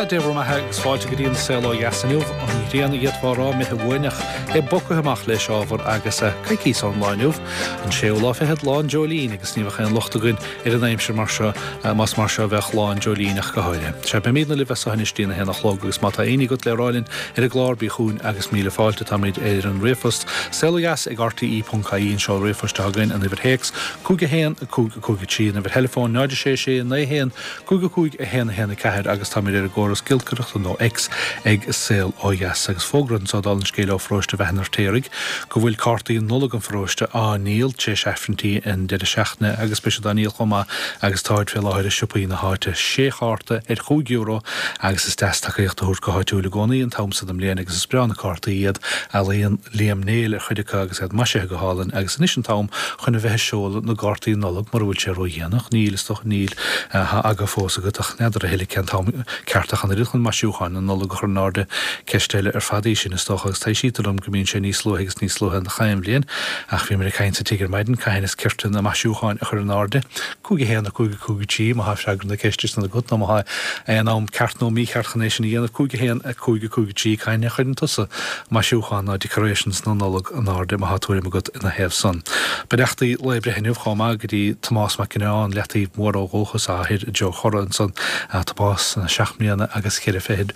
Sea, Dé bhur mbeatha agus fáilte go dtí an Saol Ó Dheas inniu. An ghrian a d'fhéadfá a rá imithe uainn ach é bogtha amach leis ábhar agus coicíos ón lá inniu, an séú lá fichead, Lá an Dreoilín agus ní bheadh aon locht againn ar an aimsir mar seo más mar seo a bheadh Lá an Dreoilín ach go háirithe. Sea, beimidne libh as seo anois dtí'n 1 a chlog agus má tá éinní agat le rá linn ar an gclár bí chugainn agus míle fáilte. Táimid ar an ríomhphost saolodheas ag rte.ie an seoladh ríomhphoist atá againn, an uimhir théacs 5 1 5 5 3, an uimhir theileafóin 0 6 6 9 1 5 5 1 1 4 agus táimid ar an gcóras giolcaireachta nó X ag Saol Ó Dheas. Agus fógra anso dála an scéil ó pharóiste Bheatha an Fheirtéaraigh go bhfuil cártaí Nollag an pharóiste á ndíol tar éis Aifrinntí an deireadh seachtaine agus beidh siad á ndíol chomh maith agus táid fé láthair i siopaí na háite. Sé chárta ar chúig euro agus is deas tacaíocht a thabhairt go háitiúil i gcónaí an t-am so den mbliain agus is breá na cártaí iad. Ealaíon Liam Néill ar chuid acu agus iad maisithe go hálainn agus anois an t-am chun a bheith ag seoladh na gcártaí Nollag mura bhfuil sé ródhéanach. Níl, is dócha, níl. Tá aga fós agat ach n'fheadar a thuilleadh cén t-am ceart ach an oiread chun maisiúcháin na Nollag a chur in airde. Ceist eile ar fad í sin, is dócha, agus taibhsítear dom go mbíonn sé níos luaithe agus níos luaithe chaon bhliain. Ach bhíomar ag caint sa tigh ar maidin cathain is cirte na maisiúcháin a chur in airde. 5 1 5 5 3 má tá freagra na ceiste sin agat nó má tá aon am ceart nó mícheart chun é sin a dhéanamh 5 1 5 5 3 cathain a chuireann tusa maisiúchán nó decorations na Nollag in airde má tá tuairim agat ina thaobh san. Beannachtaí lae breithe inniu chomh maith go dtí Tomás Mac Gineáin, Leataobh Mhór ó dhúchas, a athair i dTreo Chora ansan. Tomás, seacht mbliana agus cheithre fichid,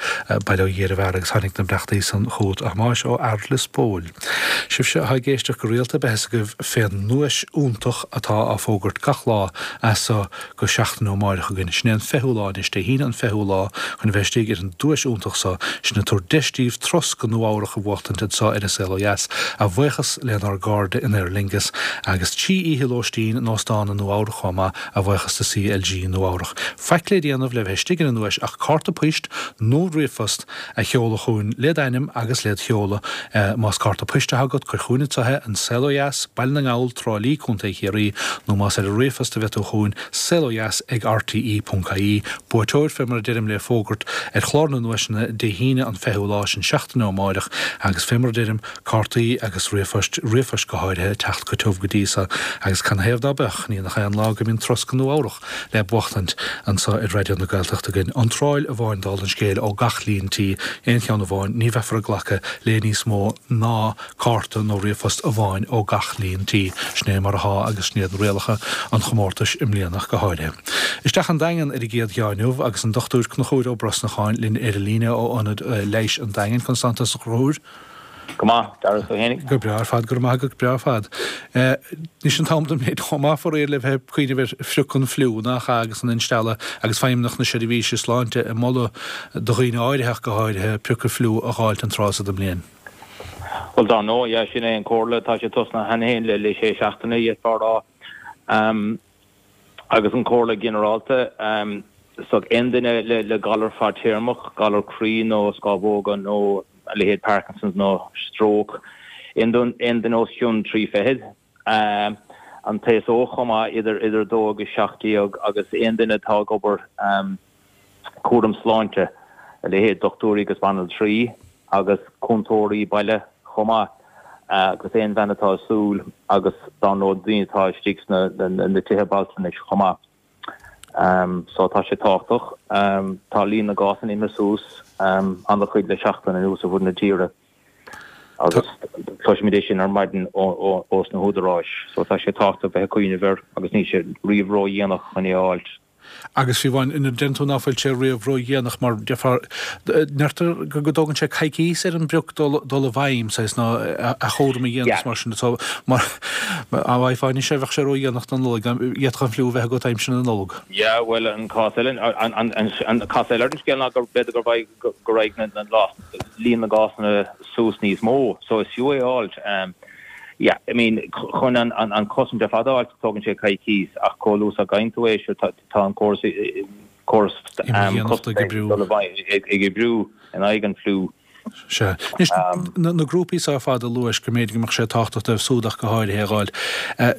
bail ó Dhia ar an bhfear agus tháinig na beannachtaí san chugat a Thomáis ó fhear Lios Póil. Sibhse atá ag éisteacht go rialta beidh fhios agaibh fén nduais iontach atá á fógairt gach lá as so go seachtain ó amáireach againn. Sin é an fichiú lá anois, Dé hAoine an fichiú lá, chun a bheith istigh ar an duais iontach so, sin ag tabhairt deis daoibh turas go Nua Eabhrach a bhuachtaint anso ar An Saol Ó Dheas, a bhuíochas lenár gcairde in Aer Lingus, agus 3 oíche lóistín in óstán i Nua Eabhrach chomh maith, a bhuíochas do CLG Nua Eabhrach. Faic le déanamh le bheith istigh ar an nduais ach cárta poist nó ríomhphost a sheoladh chugainn led ainm agus led sheoladh. Más cárta poist atá agat, cuir chugainn anso é, An Saol Ó Dheas, Baile na nGall, Trá Lí, Co. Chiarraí, nó más ar an ríomhphost a bheidh tú chugainn, saolodheas ag rte.ie. Buaiteoir, fé mar a deirim, le fógairt ar chlár na nduaiseanna Dé hAoine an 20ú lá, sin seachtain ó amáireach, agus fé mar a deirim, cártaí agus ríomhphoist, ríomhphoist go háirithe, ag teacht go tiubh go dtí so, agus canathaobh ná beadh, ní nach é an lá go mbíonn turas go Nua Eabhrach le buachtaint anso ar Raidió na Gaeltachta againn. Iontráil amháin dála an scéil ó gach líon tí, aon cheann amháin, ní bheifear ag glacadh le níos mó ná cárta nó ríomhphost amháin ó gach líon tí. Sin é mar athá agus sin iad rialacha an chomórtais i mbliana ach go háirithe. Isteach an Daingean ar an gcéad gheá inniu agus an Dr Conchúr Ó Brosnacháin linn ar an líne ó Ionad Leighis an Daingin. Conas tánn tusa a Chonchúir? Go maith, Darragh, tú fhéinig? Go breá ar fad, go raibh maith agat, go breá ar fad. Anois an t-am den mbliain chomh maith faraor le bheith ag cuimhneamh ar phrioc an fliú, nach ea, agus an instealladh agus Feidhmeannacht na Seirbhíse Sláinte ag moladh do dhaoine áirithe ach go háirithe prioc an fliú a dh'fháilt an tráth so den mbliain. Bhuel, dar ndóigh, yeah, sin é an comhairle, tá sé tosnaithe cheana féin le le sé seachtaine, d'fhéadfá a rá. Agus an comhairle ginearálta, so aon duine le le galar fadtéarmach, galar croí nó scámhóga nó a leithéid Parkinson's nó stróc, aon duine os cionn 3 fichid, an t-aos óg chomh maith, idir idir 2 agus 17, agus aon duine atá ag obair cúram sláinte, a leithéid dochtúirí agus banaltraí agus cúntóirí baile chomh maith, agus aon bhean atá ag súil agus dar ndóigh daoine atá istigh sna na tithe altranais chomh maith. So tá sé tábhachtach. Tá líon na gcásanna imithe suas an-chuid le seachtain anuas ar fud na tíre agus cloisimid é sin ar maidin ós na húdaráis. So tá sé tábhachtach bheith ag cuimhneamh air agus níl sé riamh ródhéanach chun é a fháilt. Agus fiú amháin nuair a deireann tú ná fuil sé riamh ródhéanach mar déarfá, deirtear go dtógann sé coicíos ar an bprioc dul i bhfeidhm, saghas, nó a chúram a dhéanamh mar sin. So, mar dá bhfaighfeá anois é bheadh sé ródhéanach don Nollaig, d'fhéadfadh an fliú a bheith agat aimsir na Nollag. Yeah, bhuel, an cás eile, an cás eile ar an scéal ná go b'fhéidir go raghaidh, go raghaidh na, líon na gcásanna suas níos mó, so is fiú é a fháilt. Yeah, I mean, chun an chosaint ar fad a fháilt, tógann sé coicís, ach chomh luath is a fhaigheann tú é, sure, tá an córas, córas Imdhíonachta ag oibriú. ag oibriú in aghaidh an fliú. Sea. Anois, na grúpaí so ar fad a luais, go mb'fhéidir go mbeadh sé tábhachtach dóibh súd ach go háirithe é a dh'fháil.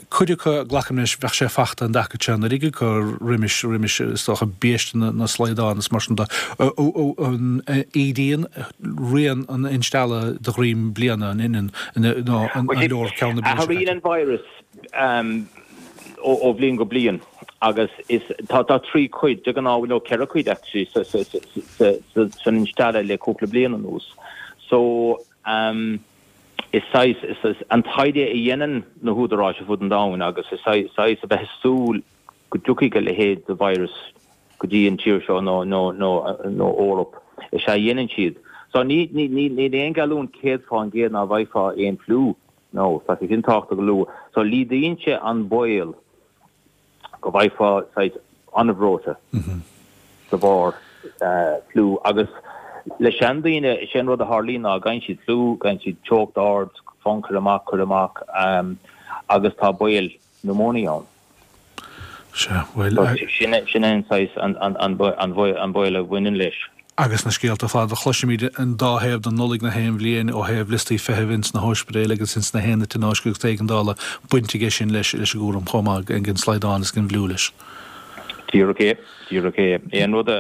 Cuid acu, glacaim leis, bheadh sé fachta an dtaca seo, an oiread acu roimis, roimis, is dócha, biaiste na slaghdán is mar sin de. An ídíonn rian an instealladh de dhroim bliana, an ionann nó an leor ceann na bliana seo caite? Athraíonn an virus ó bhliain go bliain. Agus is, tá, tá 3 cuid, de ghnáth, nó 4 cuid actually sa, sa, sa, sa, sa, san instealladh le cúpla bliain anuas. So, um, is saghas, is, is an taighde a dhéanann na húdaráis ar fud an domhain agus is saghas, saghas a bheith ag súil go dtiocfaidh a leithéid de virus go dtí an tír seo nó, nó, nó, nó Eoraip, is ea a dhéanann siad. So ní, ní, ní, níl aon gheallúint 100% ná bhfaighfeá aon fliú, no, tá sé sin tábhachtach a lua. So laghdaíonn sé an baol go bhfaighfeá saghas an-bhreoite de bharr fliú agus le seandaoine is é an rud a tharlaíonn ná gfaigheann siad fliú, gfaigheann siad teocht ard, fonn cur amach, cur amach agus tá baol pneumonia ann. Sea, bhuel. Sin é an saghas an baol a bhaineann leis. Agus na scéalta fada a chloisimid an dá thaobh den Nollaig na haon bhliain ó thaobh liostaí feithimh ins na hóispidéil agus ins na haonaid tionóisce agus éigeandála, baint aige sin leis leis an gcúram chomh maith den slaghdán is den bhfliú leis. Díreach é, díreach é. Aon rud a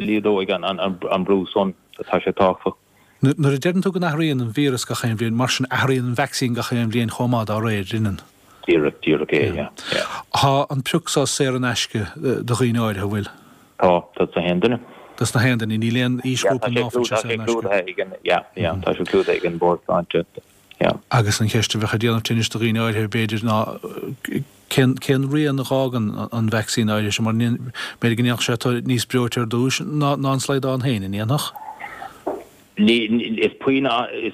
laghdóidh an brú san, tá sé tábhachtach. Nuair a deireann tú go n-athraíonn an víreas gach aon bhliain, mar sin athraíonn an vacsaín gach aon bhliain chomh maith dá réir, an ionann? Díreach, díreach é, yeah, yeah. Tá an pioc so saor in aisce do dhaoine áirithe, an bhfuil? Tá, dos na haon duine. Dos na haon duine, níl aon aoisghrúpa ná fuil sé saor in aisce. Tá sé clúdaithe ag an, yeah, yeah, tá sé clúdaithe ag an Bord Sláinte, yeah. Agus an cheist a bheadh ag déanamh tinnis do dhaoine áirithe, b'fhéidir, ná cén, cén rian a dh'fhágann an vacsaín áirithe seo, mar b'fhéidir go ndéanfadh sé tú níos breoite ar dtúis ná, ná an slaghdán féin, an ndéanfadh? Ní, is puinn, is,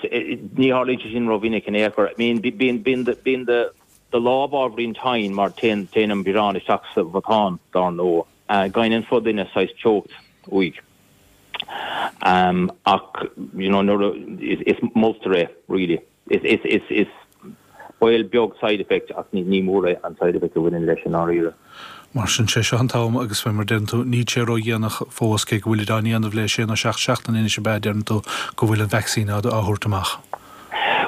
ní tharlaíonn sé sin rómhinic in aon chor. I mean, bíonn, bíonn, bíonn do, do lámh ábhairín tinn mar téann, téann an biorán isteach sa mhatán, dár ndóigh. Gheibheann an fo-duine saghas teocht uaidh. Ach, you know, nuair a, is moltar é, really. Is, is, is, is baol beag side effect ach ní, ní mór é an side effect a bhaineann leis i ndáiríre. Mar sin, sé seo an t-am agus fé mar deireann tú, níl sé ró-dhéanach fós, cé go bhfuilid á ndéanamh le sé nó seacht seachtaine anois ab ea, deireann tú, go bhfuil an vacsaín á, á thabhairt amach.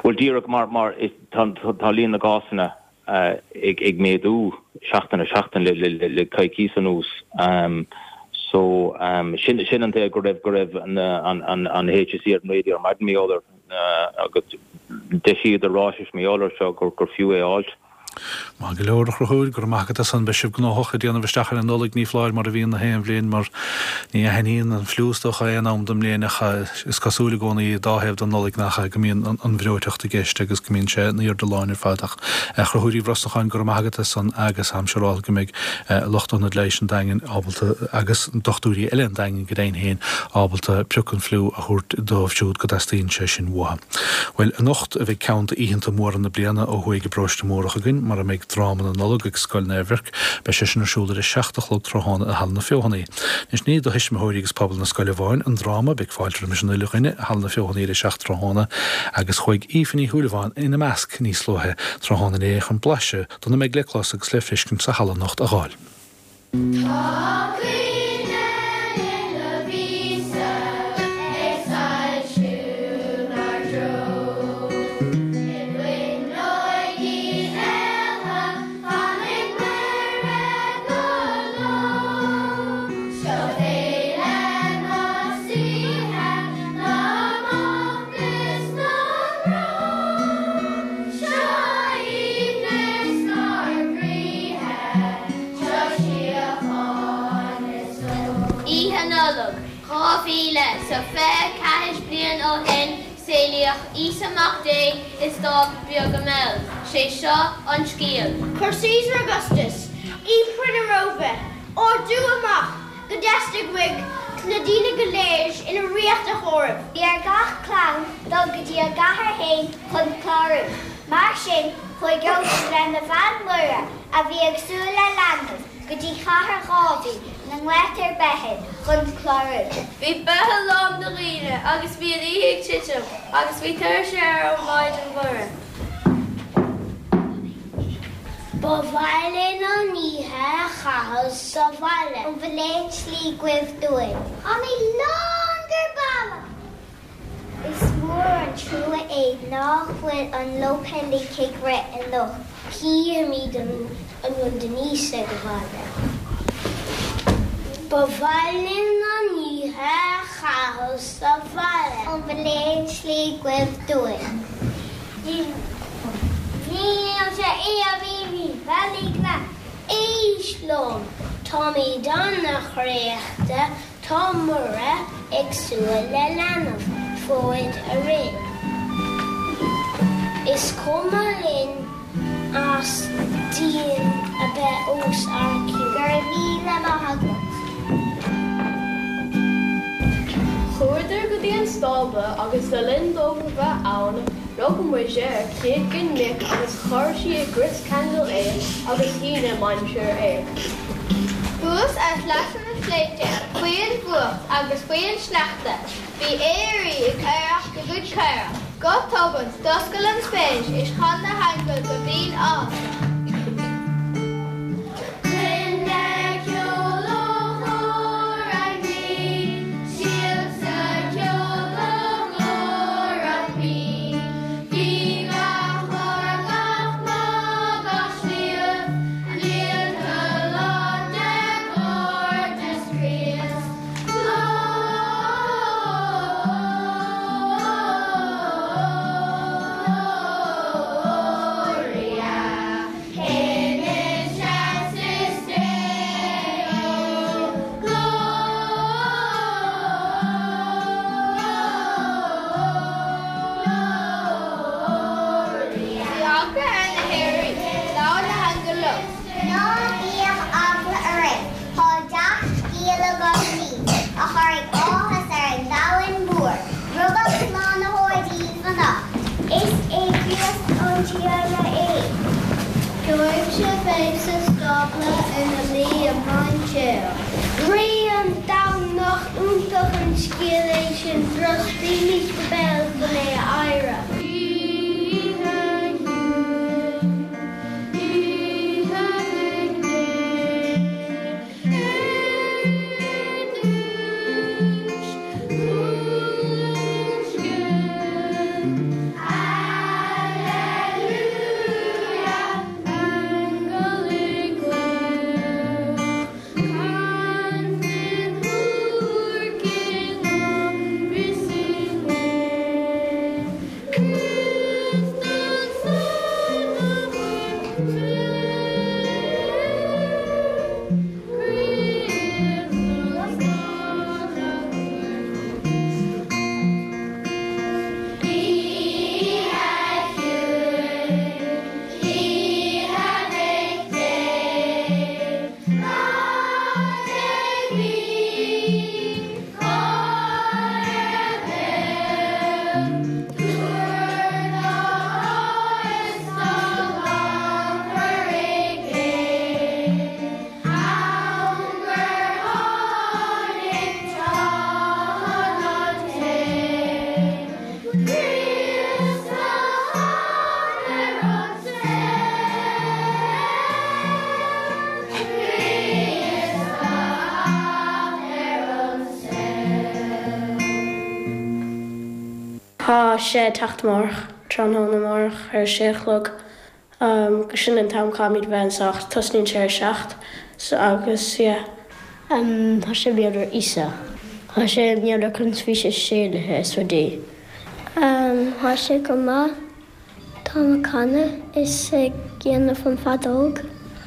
Bhuel, díreach mar, mar is, tá, tá líon na gcásanna ag méadú seachtain ar sheachtain le coicís anuas. So sin an tuige go raibh go raibh an HSE ar an raidió ar maidin mar gheall air agus d'eisíodar ráiteas mar gheall air seo gur fiú é a fháilt. Maith go leor, a Chonchúir, go raibh maith agat as san. Beidh sibh gnóthach ag déanamh isteach ar an Nollaig, ní foláir, mar a bhíonn na haon bhliain, mar ní aithníonn an fliú is dócha aon am den mbliain ach is cosúil i gcónaí dá thaobh den Nollaig nach ea go mbíonn an bhreoiteacht i gceist agus go mbíonn sé in airde láin ar fad ach a Chonchúir Uí Bhrosnacháin go raibh maith agat as san agus táim siúráilte go mbeidh lucht Ionad Leighis an Daingin ábalta agus dochtúirí eile an Daingin go deimhin féin ábalta pioc an fliú a thabhairt dóibh siúd go dteastaíonn sé sin uathu. Bhuel anocht a bheidh ceann d'oícheanta móra na bliana ó thuaidh i bParóiste Múrach againn mar a mbeidh Dráma na Nollag ag Scoil Naomh Mhirc. Beidh sé sin ar siúl ar a 7 a chlog tráthnóna i Halla na Feothanaí. Anois ní do thuismitheoirí agus pobal na scoile amháin an dráma, beidh fáilte roimis an uile dhuine i Halla na Feothanaí ar a 7 tráthnóna agus chuaigh Aoife Ní Shúilleabháin ina measc níos luaithe tráthnóna inné chun blaiseadh de na mbeidh le clos agus le feiscint sa halla anocht a dh'fháil. Tá cuimhne linn Lovisa ag soilsiú 'nár dtreo. I bhfuinneoig Uí Aodha fanfaidh Muire go deo. Seo féile na saoithe, na mbocht is na mbrón. Seo aoibhneas 'nár gcroíthe. Seo síocháin is só. Oíche Nollag 2024 bliain ó shin saolaíodh Íosa Mac Dé i stábla beag i mBeil. Sé seo an scéal. Chuir Caesar Augustus, Impire na Róimhe, ordú amach go dteastaigh uaidh na daoine go léir ina ríocht a chomhaireamh. Bhí ar gach clann dul go dtí a gcathair féin chun clárú. Mar sin, chuaigh Iósaef lena bhean Muire, a bhí ag súil le leanbh, go dtí cathair Dháiví, 'na nglaotar Beithlem, chun clárú. Bhí Beithil lán de dhaoine agus bhí an oíche ag titim agus bhí tuirse ar an Mhaighdean Mhuire. Ba mhaith linn an oíche a chaitheamh sa bhaile. An bhfuil aon tslí agaibh dúinn? Tá mé lán giobálach! Is mór an trua é nach bhfuil an Lopé League ag rith anocht. Chífimid an bhfuil Denise ag baile. Ba mhaith linn an oíche a chaitheamh sa bhaile. An bhfuil aon tslí agaibh dúinn? Níl sé Arís liom! Táimid an-chraochta, tá Muire ag súil le leanbh, fóid orainn. Is cuma linn as díon a bheith os ár gcionn. Go raibh míle maith agat. Chuadar go dtí an stábla agus le linn dóibh a bheith ann rug Muise ar chéad ghin muic agus chuir sí i gcrios ceangail é agus shín i mainséar é. Thuas ar shleasa na sléibhte, faoin bhfuacht agus faoin sneachta, bhí aoirí ag aoireacht a gcuid caorach. Go tobann, d'oscail an spéis is chan na haingil go binn áthasach. Bhí eagla ar na haoirí. Labhair na haingil leo. Ná bíodh eagla oraibh, tá dea-scéal agam daoibh, a chuirfidh áthas ar an domhan mór. Rugadh Slánaitheoir daoibh anocht. Is é Críost an Tiarna é. Gheobhaidh sibh é sa stábla ina luí i mainséar. Rí an domhain, nach iontach an scéal é sin, brostaímis go béal chun é a adhradh. Oíche chiúin, oíche Mhic Dé. Tá sé ag teacht amárach, tráthnóna amárach ar a sé a chlog. Agus sin an t-am caithfimid a bheith anso ach tosnaíonn sé ar a 7 so agus yeah. Tá sé mar gheall ar Íosa. Tá sé mar gheall ar conas bhí sé séalaithe is rudaí. Tá sé go maith. Táim ag canadh is ag déanamh an feadóg.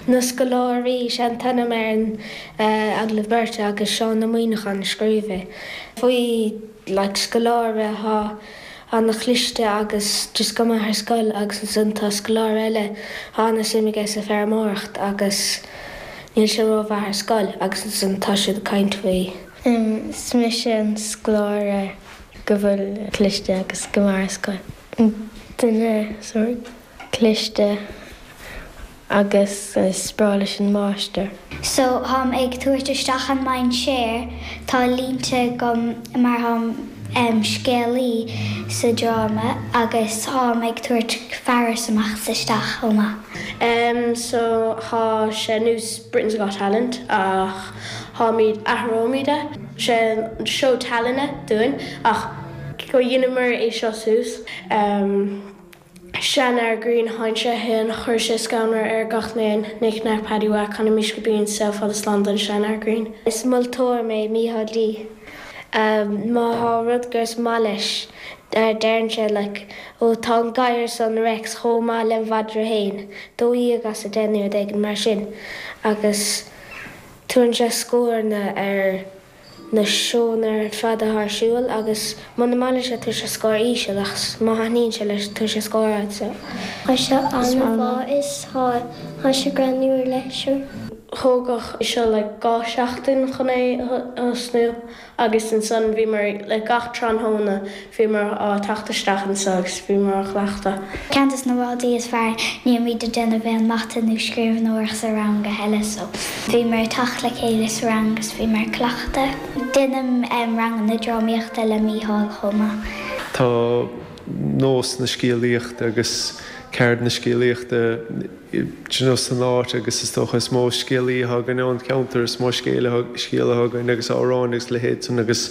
Na Scoláirí, sé an t-ainm ar an agallamh beirte agus Seán Ó Muíneacháin a scríobh é. Faoi like scoláire atá ana-chliste agus just go maith ar scoil agus ansan tá scoláire eile tá ana-suim aige sa feirmeoireacht agus níl sé rómhaith ar scoil agus ansan tá siad ag caint faoi. Is mise an scoláire go bhfuil cliste agus go maith ar scoil. Duine sórt cliste agus is breá leis an máistir. So tháim ag tabhairt isteach an mainséar, tá línte agam mar tháim em scéalaí sa dráma agus tháim ag tabhairt fearas amach is isteach chomh maith. Em so thá sé nós Britain's Got Talent ach tháimid, athróimid é. Sé an seó tallainne dúinn ach go dheineamar é seo suas. Em. Seanfhear grinn sheinn sé a thuin, chuir sé scanradh ar gach n-éan, Nic Neac Paddy Mhac, Canaimis go binn, Saol fada slán don seanfhear grinn. Is moltóir mé, Mícheál D. Má thá rud gur is maith leis. Deireann sé like ó tá an gadhar san Rex chomh maith lem mhadra fhéin, 12 as 10 nó rud éigin mar sin agus tugann sé scóranna ar na seónna ar fad atá ar siúl agus muna maith leis é tabharfaidh sé scór íseal ach má thaitníonn sé leis tabharfaidh sé scór ard so. Tá sé an-mhaith is tá sé greannmhar leis. Thógfadh seo like 2 seachtain chun é a thosnú. Agus ansan bhíomar, like gach tráthnóna, bhíomar á teacht isteach anso agus bhíomar á chleachtadh. Ceann des na rudaí is fearr, nílimid ag déanamh aon mata nó scríbhneoireacht sa rang a thuilleadh so bhíomar ag teacht le chéile sa rang agus bhíomar ag cleachtadh. Déanaim ranganna drámaíochta le Mícheál chomh maith. Tá nós na scéalaíochta agus ceard na scéalaíochta d'you know san áit agus is dócha is mó scéalaí atá againn ón cheantar, is mó scéal atá againn agus amhráin agus leithéid san agus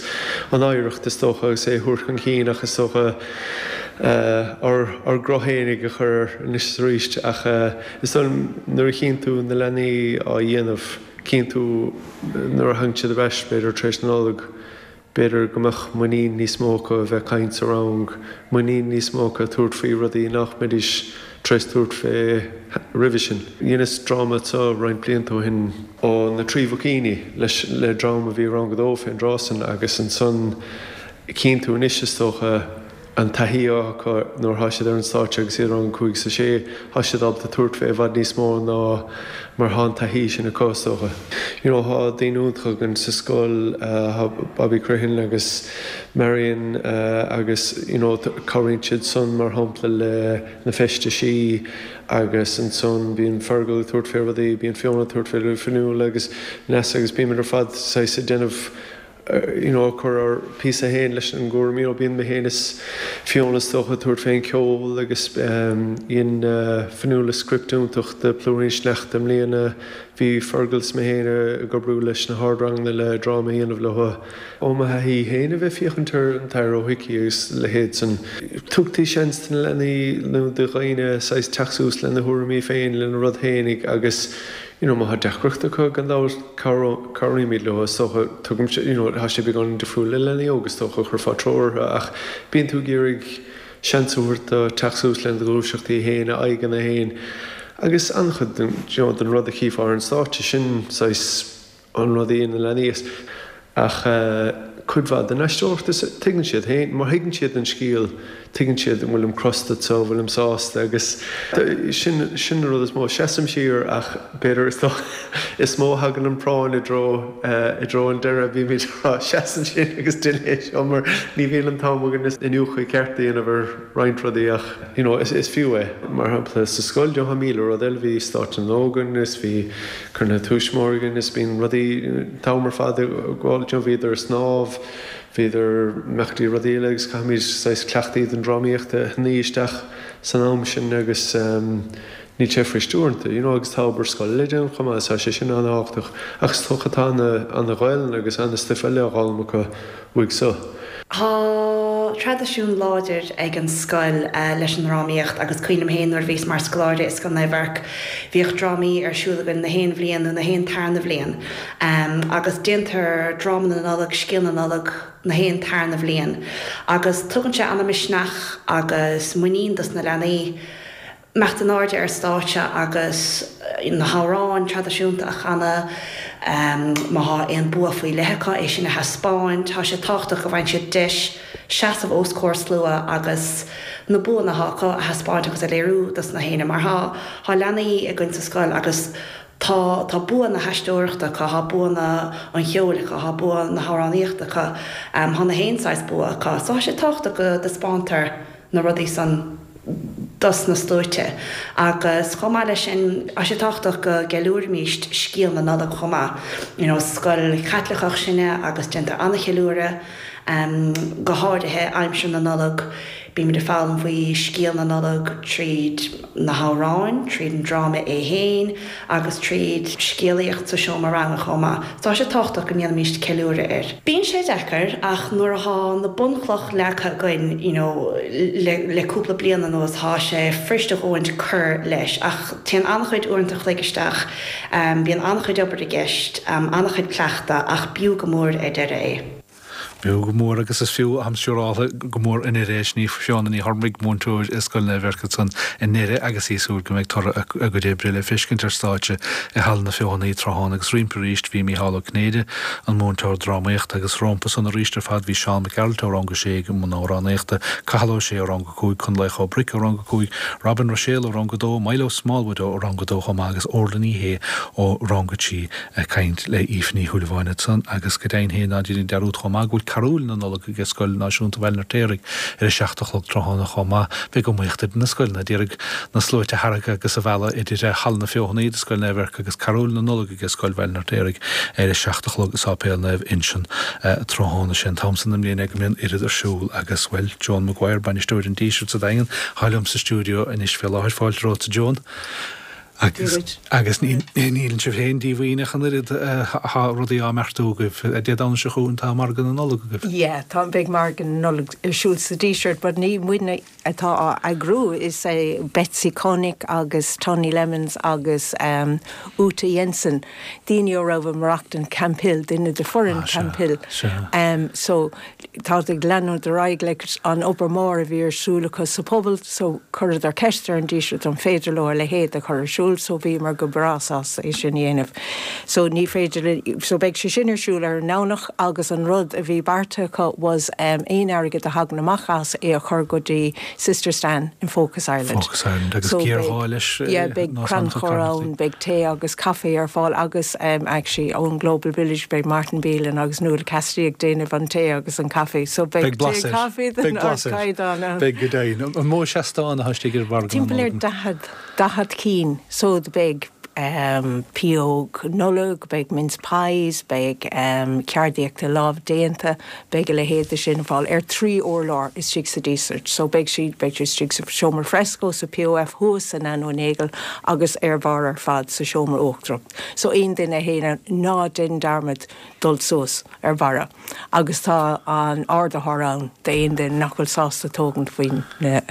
an oidhreacht is dócha agus é a thabhairt chun cinn ach is dócha ár ár gcruth fhéinig a chur air anois is arís ach is dóigh liom nuair a chíonn tú na leanaí á dhéanamh, cíonn tú nuair a thagann siad ar ais b'fhéidir tar éis na Nollag, B'fhéidir go mbeadh muinín níos mó acu a bheith ag caint sa rang, muinín níos mó acu tabhairt faoi rudaí nach mbeidís tar éis tabhairt fé roimhe sin. Dheineas dráma anseo roinnt blianta ó shin, ó na Trí Bhoicíní, leis le dream a bhí i rang a dó fén dtráth san agus ansan cíonn tú anois is dócha, an taithí acu nuair atá siad ar an stáitse agus iad i rang a 5 is a 6, tá siad ábalta tabhairt fé i bhfad níos mó ná mar thá an taithí sin acu, is dócha. You know, thá daoine iontacha againn sa scoil, thá Bobby Crittenden agus Marion agus you know cabhraíonn siad san mar shampla le na feistisí agus ansan bíonn Fergal ag tabhairt fé rudaí, bíonn Fiona ag tabhairt fé Fionnuala agus Nessa agus bímid ar fad saghas ag déanamh you know ag cur ár píosa féin leis an gcúram, you know bíonn mé féin is Fiona is dócha ag tabhairt fén ceol agus dhein Fionnuala script iontach de Plúirín Sneachta i mbliana, bhí Fergal is mé féin ag oibriú leis na hardranganna le dráma a dhéanamh leo. Ó mo thaithí féin a bheith féachaint ar an tAthair Ó hIcí agus leithéid san, tugtaí seans do na leanaí nó do dhaoine saghas teacht suas lena thuairimí féin, lena rud féinig agus you know má tá deacracht acu gan dabht cabhraímid leo is dócha, tugaimse, you know tá sé beagán difriúil le leanaí óga is dócha, chuirfeá treoir orthu ach bíonn tú ag iarraidh seans a thabhairt dó teacht suas lena ghluaiseachtaí féin, a aghaidheanna féin agus an-chuid den, you know, den rud a chífeá ar an stáitse, sin saghas an rud a dhéanann na leanaí ach cuid mhaith den aisteoireacht is tuigeann siad féin, má thuigeann siad an scéal, tuigeann siad an bhfuilim crosta anseo, an bhfuilim sásta agus sin, sin an rud is mó. Seasaim siar ach b'fhéidir is is mó a thagann an práinn i dtreo, i dtreo an deireadh, bímid ag rá seas ansin agus déan é seo mar ní bhíonn an t-am againn iniúchadh ceart a dhéanamh ar roinnt rudaí ach you know is, is fiú é. Mar shampla sa scoil, you know, tá 1000 rud eile, bhí Stáitse na nÓg againn is bhí Cruinnithe tuismitheoirí againn is bíonn rudaí an t-am ar fad ag gabháil, you know, bhíodar ag snámh, bhíodar imeachtaí rudaí eile agus caithfimid saghas cleachtaí den drámaíocht a shnoí isteach san am sin agus níl sé fuirist uaireanta, you know, agus tá obair scoile le déanamh chomh maith is tá sé sin an-thábhachtach ach is dócha tá ana-Ghaelainn agus ana-stuif eile á dh'fhoghlaim acu uaidh so. Tá traidisiún láidir ag an scoil leis an ndrámaíocht agus cuimhin liom féin nuair a bhíos mar scoláire i Scoil Naomh Eirc bhíodh drámaí ar siúl againn na haon bhliain nó na haon tarna bhliain agus déantar dráma na Nollag, scéal na Nollag na haon tarna bhliain agus tugann sé ana-mhisneach agus muinín dos na leanaí. imeacht in airde ar stáitse agus na hamhráin traidisiúnta a chanadh, má thá aon bua faoi leith acu, é sin a thaispeáint. Tá sé tábhachtach go bhfaigheann siad deis seasamh os comhair slua agus na buanna athá acu a thaispeáint agus a léiriú dos na héinne mar thá thá leanaí againn sa scoil agus tá tá bua na haisteoireachta acu, thá bua na an cheoil acu, thá bua na hamhránaíochta acu, thá na haon saghas bua acu. So thá sé tábhachtach go dtaispeántar na rudaí san dos na sluaite. Agus chomh maith leis sin, tá sé tábhachtach go gceiliúraimíst scéal na Nollag chomh maith. You know, scoil Chaitliceach sinne agus déantar an-cheiliúradh, go háirithe aimsir na Nollag. Bímid ag foghlaim faoi scéal na Nollag tríd na hamhráin, tríd an dráma é fhéin agus tríd scéalaíocht sa seomra ranga chomh maith. So tá sé tábhachtach go ndéanaimíst ceiliúradh air. Bíonn sé deacair ach nuair athá na bunchloch leagtha againn you know le le cúpla bliain anuas thá sé fuiriste dhúinn cur leis ach téann an-chuid uaireanta chloig isteach, bíonn an-chuid obair i gceist, an-chuid cleachtadh ach b'fhiú go mór ar deireadh é. B'fhiú go mór agus is fiú atham siúráltha go mór i nDoire é. Sin í Fiona Ní Chormaic, múinteoir i Scoil Naomh Eirc ansan i nDoire agus í ag súil go mbeidh toradh a gcuid oibre le feiscint ar stáitse i Halla na Feothanaí tráthnóna agus roimpi arís bhí Mícheál Ó Cinnéide, an múinteoir drámaíochta agus rómpa san arís ar fad bhí Seán Mac Gearailt ó Rang a Sé ag i mbun amhránaíochta, Cathal Ó Sé ó Rang a 5, Conlaoch Ó Bric ó Rang a 5, Robin Ruiséal ó Rang a 2, Milo Smallwood ó Rang a 2 chomh maith agus Orla Ní Shé ó Rang a 3. Ag caint le Aoife Ní Shúilleabháin ansan agus go deimhin féin ná déan dearúd chomh maith go bhfuil Carúil na Nollag ag Scoil Náisiúnta Bhaile an Fheirtéaraigh ar a 7 a chlog tráthnóna chomh maith. Beidh iomaíocht idir na scoileanna d'iarraidh na sluaite a tharrac agus a mhealladh idir Halla na Feothanaí do Scoil Naomh Eirc agus Carúil na Nollag ag Scoil Bhaile an Fheirtéaraigh ar a 7 a chlog i Sáipéal Naomh Uinseann tráthnóna. Sé an t-am san den mbliain é go mbíonn oiread ar siúl agus, bhuel, Joan Maguire, bainisteoir an Dísirt sa Daingean, atá liom sa stiúideo anois fé láthair. Fáilte romhat, a Joan. Agus, agus níleann sibh féin díomhaoin ach an oiread, tá rudaí á mbeartú agaibh. Dé Domhnaigh seo chugainn tá Margadh na Nollag agaibh. Yeah, tá, beidh Margadh na Nollag ar siúl sa Díseart but ní muidne atá á eagrú, is é Betsy Connick agus Tony Lemons agus Uta Jensen, daoine a raibh ag maireachtaint Camphill, duine de foireann Camphill. So Táid ag leanúint ar aghaidh leis an obair mhór a bhí ar siúl acu sa phobal so chuireadar ceist ar an Díseart an féidir leo a leithéid a chur ar siúl so bhíomar go breá sásta é sin a dhéanamh. So ní féidir linn, so beidh sé sin ar siúl ar an nDomhnach agus an rud a bhí beartaithe acu was aon airgead a thagann amach as é a chur go dtí Sister Stan in Focus Ireland. Focus Ireland agus So géarghá leis yeah beidh crannchur ann, beidh tae agus caife ar fáil agus actually ón Global Village beidh Martin Bealin agus Nuala Cassidy ag déanamh an tae agus an caife so beidh tae caife den ardchaighdeán ann. Beidh go deimhin. An mó seastán atá istigh ar mhargadh na Timpeall ar 40, 40 cinn so beidh pióg Nollag, beidh mince pies, beidh ceardaíocht lámh déanta, beidh a leithéid de sin ar fáil ar thrí urlár istigh sa Díseart. So beidh siad, beidh siad istigh sa seomra fresco sa POF thuas sa Nano Nagle agus ar bharr ar fad sa seomra uachtarach. So aon duine a théann ann, ná déan dearmad dul suas ar barra agus tá an ardaitheoir ann d'aon duine nach bhfuil sásta tógaint faoin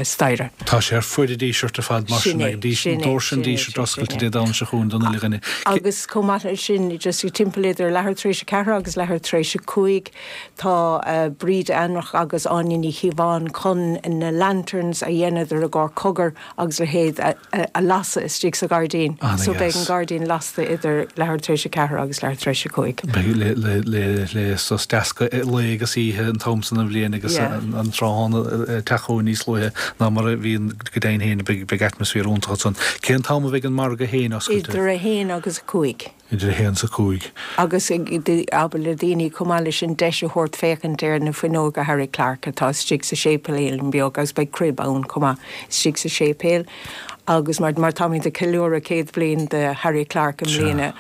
staighre. Tá sé ar fuaid an Dísirt ar fad mar sin ag doirse an Dísirt oscailte Dé Domhnaigh seo chugainn don uile dhuine. Agus chomh maith leis sin, just timpeall idir leathuair tar éis a ceathair agus leathuair tar éis a cúig, tá Bríd Ainreach agus Áine Ní Chíobháin chun na lanterns a dheineadar i gcomhair Cogar agus a leithéid a lasadh istigh sa ghairdín. So beidh an gairdín lasta idir leathuair tar éis a ceathair agus leathuair tar éis a cúig. Beidh le sos deascadh lae agus oíche an t-am san den bhliain agus an tráthnóna ag teacht chugainn níos luaithe ná mar a bhíonn go deimhin féin. Beidh atmaisféar iontach ansan. Cén t-am a bheidh an margadh féin oscailte? Idir a haon agus a cúig. Idir a haon is a cúig. Agus abair le daoine chomh maith leis sin deis a thabhairt féachaint ar na fuinneoga Harry Clarke atá istigh sa séipéilín beag agus beidh crib ann chomh maith istigh sa séipéal agus mar mar táimid ag ceiliúradh 100 bliain de Harry Clarke i mbliana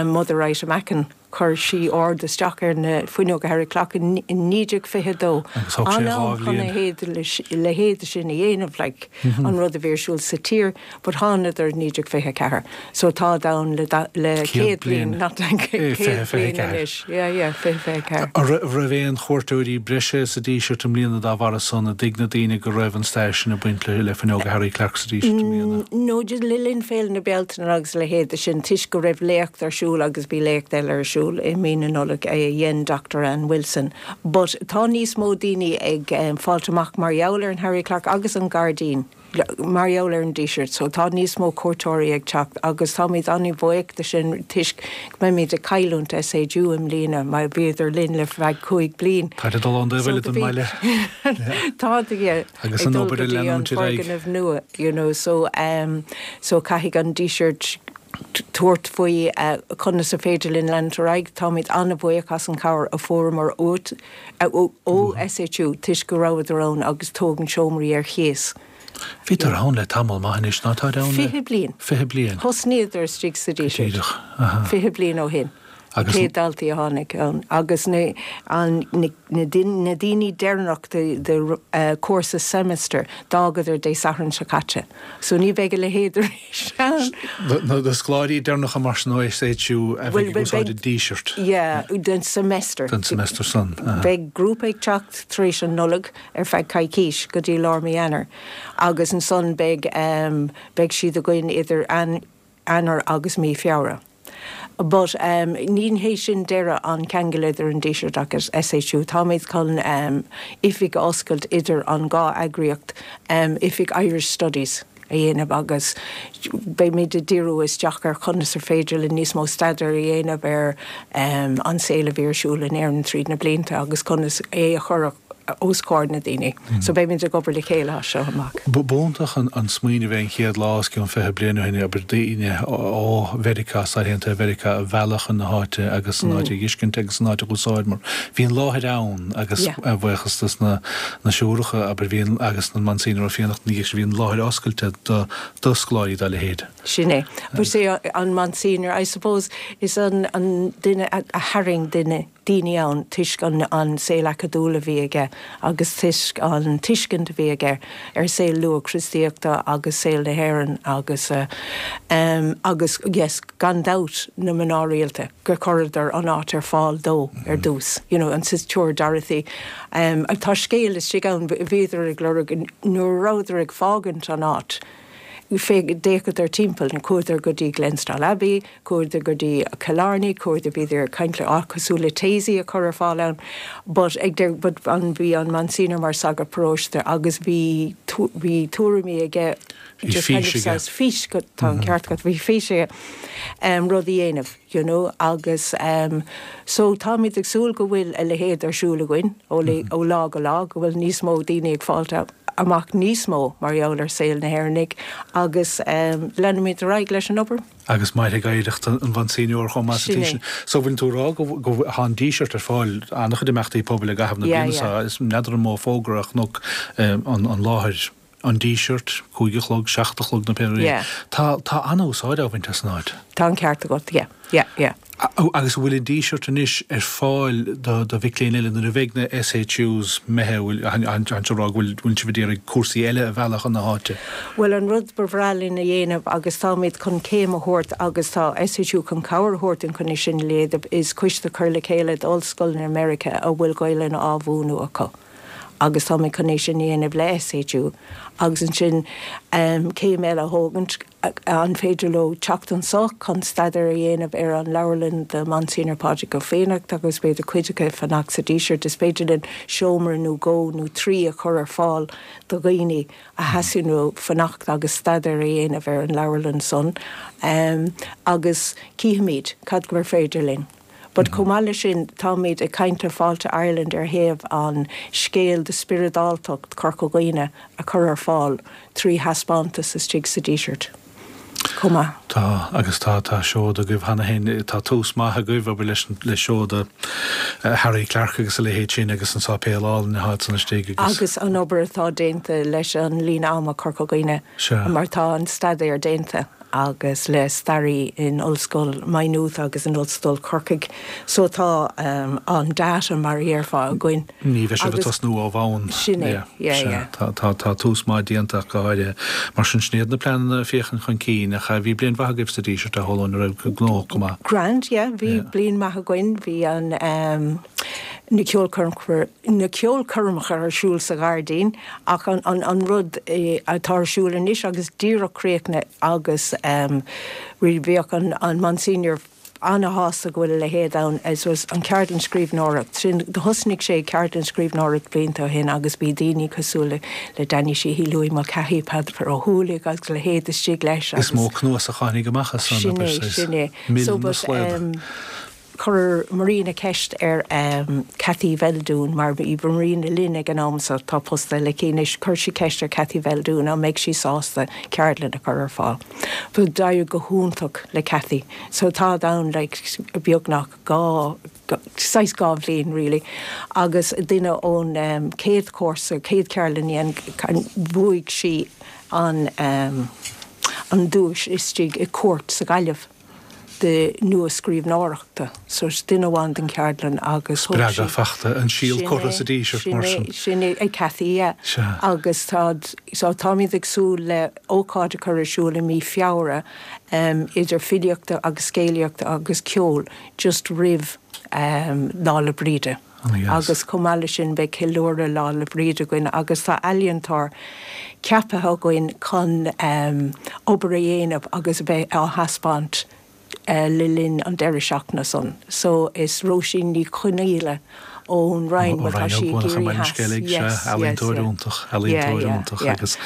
Mother Ita Mackin chuir sí ord isteach ar na fuinneoga Harry Clarke in 1922. Agus thóg sé An-am chun a leithéid sin a dhéanamh like an rud a bhí ar siúl sa tír. But thánadar 1924 so táid ann le le 100 bliain, not 100 bliain anois. Yeah, yeah, 2024. An raibh aon chuairteoirí breise sa Díseart i mbliana dá bharra san? An dtuig na daoine go raibh an stair sin ag baint le fuinneoga Harry Clarke sa Díseart i mbliana? No, just le linn Féile na Bealtaine agus a leithéid de sin, toisc go raibh léacht ar siúl agus bhí léacht eile ar siúl i mí na Nollag a dhein Doctor Ann Wilson. But tá níos mó daoine ag fáilt amach mar gheall ar an Harry Clarke agus an gairdín. mar gheall ar an Díseart so tá níos mó cuairteoirí ag teacht agus táimid an-bhuíoch de sin toisc go mbeimid ag cailliúint SHU i mbliana mar bhíodar linn le feadh 5 bliain. Táid ag dul ón dtaobh eile den mbaile. Táid yeah Agus an obair ag leanúint ar aghaidh. foirgneamh nua you know so um so caithfidh an Díseart tabhairt faoi conas is féidir linn leanúint ar aghaidh. Táimid an-bhuíoch as an chabhair a fuaireamar uait ó SHU toisc go rabhadar ann agus tógaint seomraí ar chíos. Bhíodar ann le tamall maith anois, ná táid ann le. 20 bliain. 20 bliain. Thosnaíodar istigh sa Díseart. Díreach, aha. 20 bliain ó shin. Agus. Chéad daltaí a tháinig ann agus na, an, na, na daoine deireanach de, de cúrsa semester, d'fhágadar Dé Sathairn seo caite. So ní bheidh a leithéid arís ann. Na scoláirí deireanacha mar sin ó SHU a bheidh ag úsáid an Dísirt. Yeah, den semester. Den semester san. Beidh grúpa ag teacht tar éis an Nollaig ar feadh coicís go dtí lár mí Eanáir agus ansan beidh beidh siad againn idir Eanáir agus mí Feabhra. But ní hé sin deireadh an ceangal idir an Díseart agus SHU. Táimid chun oifig a oscailt idir an dhá eagraíocht, oifig Irish Studies a dhéanamh agus beimid ag díriú isteach ar chonas ar féidir linn níos mó staidéir a dhéanamh ar an saol a bhí ar siúl in Éirinn tríd na blianta agus conas é a chur os comhair na daoine. So beimid ag obair le chéile as seo amach. B'iontach an smaoineamh é an chéad lá os cionn 20 bliain ó shin, abair, daoine ó Mheiriceá, Stáit Aontaithe Mheiriceá a mhealladh chun na háite agus an áit a dh'fheiscint agus an áit a dh'úsáid mar bhí an láthair ann agus a bhuíochas dos na siúracha, abair, bhí an, agus an Monsignor Ó Fiannachta ina dhiaidh sin, bhí an láthair oscailte do do scoláirí dá leithéid. Sin é. But sé an Monsignor, I suppose, is an duine a tharraing duine daoine ann toisc an saol acadúil a bhí aige agus toisc an tuiscint a bhí aige ar saol luath-Chríostaíochta agus saol na hÉireann agus agus yes gan dabht na mná rialta gur chuireadar an áit ar fáil dó ar dtús you know an Siúr Dorothy tá scéal istigh ann bhíodar ag lorg nuair a rabhadar ag fágaint an áit d'fhéachadar timpeall, chuadar go dtí Glenstal Abbey, chuadar go dtí Killarney, chuadar, bhíodar ag caint le áit cosúil le Taizé a chur ar fáil ann, but ag deireadh, but an, bhí an Monsignor mar sagart paróiste agus bhí, bhí tuairimí aige, Bhí just kind fís of aige. saghas fís, go, tá an ceart agat, bhí fís aige, em, rud a dhéanamh, you know, agus, em, so táimid ag súil go bhfuil a leithéid ar siúl againn ó, ó lá go lá, go bhfuil níos mó daoine ag fáilt amach níos mó mar gheall ar saol na hÉireannaigh agus leanfaimid ar aghaidh leis an obair. Agus mairfidh oidhreacht an Mhonsignor chomh maith sa Sin tslí é. sin. So bhfuil tú ag rá go go tá an Díseart ar fáil an-chuid imeachtaí pobail i gcaitheamh na Yeah, bliana yeah. seo. Is n'fheadar an mó fógra a chonac an an láthair an Díseart, cúig a chlog, seacht a chlog nó pé rud é. Yeah. Tá tá an-úsáid á bhaint as an áit. Tá an ceart agat, yeah, yeah, yeah. Agus an bhfuil an Díseart anois ar fáil do mhic léinn eile nuair a bheidh na SHUs imithe, bhfuil an ag rá go bhfuil sibh ag iarraidh cúrsaí eile a mhealladh chun na háite? Bhuel an rud ba bhreá linn a dhéanamh agus táimid chun céim a thabhairt agus tá SHU chun cabhair a thabhairt dúinn chun é sin a dhéanamh is coiste a chur le chéile d'ollscoileanna Meiriceá a bhfuil Gaolainn á mhúineadh acu agus táimid chun é sin a dhéanamh le SHU agus ansin céim eile a thógaint An féidir leo teacht anso chun staidéar a dhéanamh ar an leabharlann do Monsignor Pádraig Ó Fiannachta agus b'fhéidir cuid acu fanacht sa Díseart. Is féidir linn seomra nó dhó nó trí a chur ar fáil do dhaoine a theastaíonn uathu fanacht agus staidéar a dhéanamh ar an leabharlann san agus cífimid cad gur féidir linn. But chomh maith leis sin, táimid ag caint le Fáilte Ireland ar thaobh an scéal de spioradáltacht Chorca Dhuibhne a chur ar fáil trí thaispeántas istigh sa Díseart chomh maith. Tá, agus tá, tá seoda agaibh cheana féin, tá tús maith agaibh, abair, leis, le seoda Harry Clarke agus a leithéid sin agus an sáipéal álainn atá ansan istigh agus. Agus an obair atá déanta leis an líne ama Corca Dhuibhne Sea. mar tá an staidéar déanta. agus le staraí in Ollscoil Maynooth agus in Ollscoil Chorcaigh so tá an data mar a dhéarfá againn. Ní bheidh sibh ag tosnú ó bhonn. Sin é, yeah, yeah. Tá, tá, tá tús maith déanta ach go háirithe. Mar sin, sin iad na pleananna féachaint chun cinn ach bhí bliain mhaith agaibh sa Díseart a Shólann, a raibh gnóthach go maith. Grand, yeah, bhí bliain maith againn, bhí an, na ceolchoirmeacha, na ceolchoirmeacha ar siúl sa ghairdín ach an, an, an rud atá ar siúl anois agus díreach críochnaithe agus bheadh an, an Monsignor ana-shásta go bhfuil a leithéid ann as was an ceardlann scríbhneoireacht sin. Do thosnaigh sé ceardlann scríbhneoireacht blianta ó shin agus bhí daoine cosúil le, le Danny Sheehy, Louis Mulcahy, Peadar Ó hUallaigh agus a leithéid istigh leis agus. Is mó cnuasach a tháinig amach as san, Sin é, sin é. Mil na slaod. Chuir Marina ceist ar Cathy Bheildiúin, mar bhí Marina linn ag an am so tá post eile aici anois, chuir sí ceist ar Cathy Bheildiúin an mbeadh sí sásta ceardlann a chur ar fáil. But d'éirigh go hiontach le Cathy so táid ann like beagnach dhá, saghas dhá bhliain really agus duine ón chéad chúrsa, chéad cheardlann a dhein, bhuaigh sí an an duais istigh i Cúirt sa Ghaillimh. de nua-scríbhneoireachta. So is duine amháin den cheardlann agus thug sí. Spreagadh fachta, an síol curtha sa Díseart mar sin. Sin é, ag Cathy, yeah. Sea. Agus tá, so táimid ag súil le ócáid a chur ar siúl i mí Feabhra idir filíochta agus scéalaíochta agus ceol just roimh Lá 'le Bríde. Agus chomh maith leis sin beidh ceiliúradh Lá 'le Bríde againn agus tá ealaíontóir ceaptha againn chun obair a dhéanamh agus a bheith á thaispeáint. le linn an deireadh seachtaine san. So is Róisín Ní Chonaola ón Rinn, bhuel tá sí i gCiarraí Theas, yes, yes, Ealaíontóir yeah. iontach, ealaíontóir Yeah, yeah, iontach yeah. agus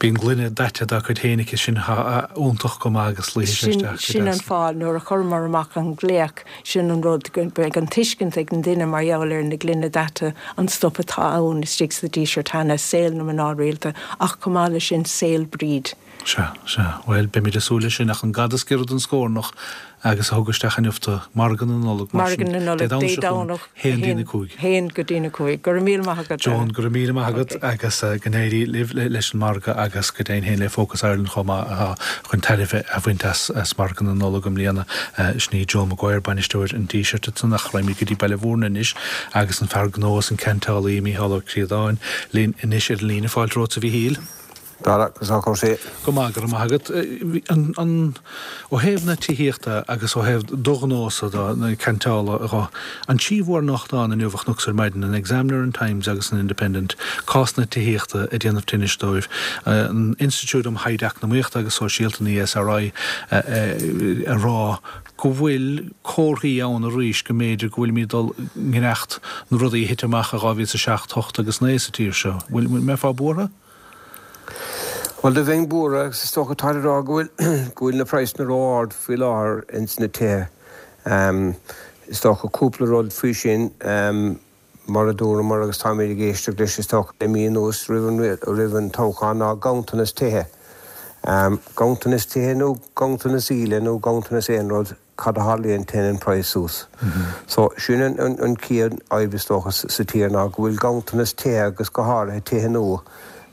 bíonn gloine daite dá cuid féin aici sin iontach go maith agus luífidh sé Sin, isteach go sin an deas. fáth, nuair a chuireamar amach an glaoch, sin an rud, go mbeidh an tuiscint ag an duine mar gheall ar na gloine daite, an stuif atá ann istigh sa Díseart cheana, saol na mná rialta, ach chomh maith leis sin, saol Bríd. Sea, sea. Bhuel, beimid ag súil leis sin, ach an gada is giorra don scornach agus a thug isteach inniu tú, Margadh na Nollag, mar sin, Margadh na Nollag, Dé Dé Domhnaigh seo chugainn, Domhnach, 1 dtí'n 5. 1 go dtí'n 5. Go raibh míle maith agat, Joan, go raibh míle maith agat agus go n-éirí libh leis an margadh agus go deimhin féin le Focus Ireland chomh maith atá chun tairbhe a bhaint as as Margadh na Nollag i mbliana. Sin í Joan Maguire, bainisteoir an Dísirt ansan ach raghaimid go dtí Baile Mhúirne anois agus an fear gnó is an ceantálaí Mícheál Ó Críodáin linn anois ar an líne. Fáilte romhat a Mhíchíl. Dara, conas tá cúrsaí? Go maith, go raibh maith agat. An, an, ó thaobh na tithíochta agus ó thaobh do ghnósa de, na ceantála dhe, an trí mhórnuachtán inniu a chonacsa ar maidin, an Examiner, an Times agus an Independent, cás na tithíochta ag déanamh tinnis dóibh. An Institiúid um Thaighde Eacnamaíochta agus Sóisialta, an ESRI, ag rá go bhfuil comharthaí ann arís go mb'fhéidir go bhfuilimid ag dul i ngiorracht na rudaí a thit amach i 2007, 8 agus 9 sa tír seo. Bhfuil, mbeifeá buartha? Bhuel, do bheinn buartha agus is dócha táid ag rá go bhfuil, go bhfuil na praghsanna ró-ard faoi láthair ins na tithe. Is dócha cúpla rud faoi sin, mar a dúramar agus táimid ag éisteacht leis is dócha le mí anuas roimh an, roimh an toghchán ná ganntanas tithe. Ganntanas tithe nó ganntanas íle nó ganntanas aon rud, cad a tharlaíonn, téann an praghas suas. So, sin an chéad fhadhb is dócha sa tír ná go bhfuil ganntanas tithe agus go háirithe tithe nua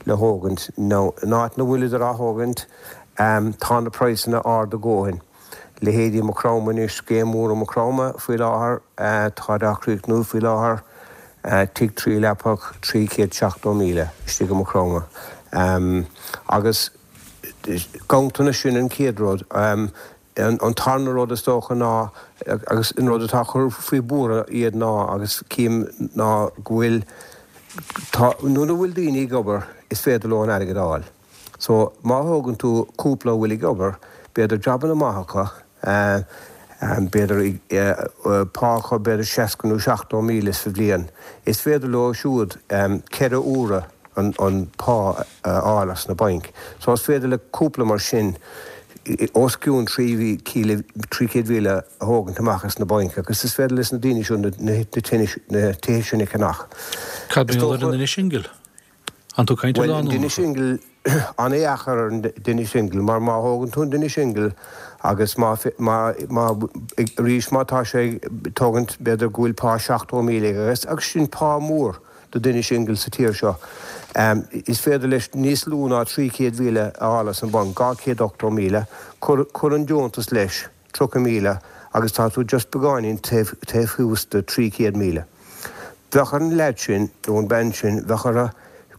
le thógaint. Now, in áit na bhfuileadar á thógaint, tá na praghsanna ard a dhóthain. Leithéidí Maigh Chromtha anois, scéim mhór i Maigh Chromtha faoi láthair, táid á chríochnú faoi láthair, tigh 3 leapach, 370,000 istigh i Maigh Chromtha. Agus ganntanas, sin an chéad rud. An tarna rud is dócha ná, agus an rud atá ag cur faoi buartha iad ná, agus cím, ná go bhfuil, tá, nuair a bhfuil daoine ag obair is féidir leo an airgead a fháil. So, má thógann tú cúpla a bhfuil ag obair, b'fhéidir jabanna maith acu, b'fhéidir pá acu b'fhéidir 60 nó 70,000 sa bhliain, is féidir leo siúd 4 uaire an pá a fháil as na bainc. So is féidir le cúpla mar sin os cionn 300,000 a thógaint amach as na bainc agus is féidir leis na daoine seo na tithe sin a cheannach. Cad mar gheall ar an duine singil? An tú ag caint ar Bhuel, an duine lánúineacha? singil, an-dheacair ar an duine singil mar má thógann tú an duine singil agus má, má, má, arís má tá sé ag tógaint b'fhéidir go bhfuil pá 70,000 aige agus, agus sin pá mór. do duine singil sa tír seo. Is féidir leis níos lú ná 300,000 a fháil as an bhanc, 280,000. Cuir, cuir an deontas leis, 30,000, agus tá tú just beagáinín taobh, taobh thuas de 300,000. Bheadh ar an leaid sin, nó an bean sin, bheadh orthu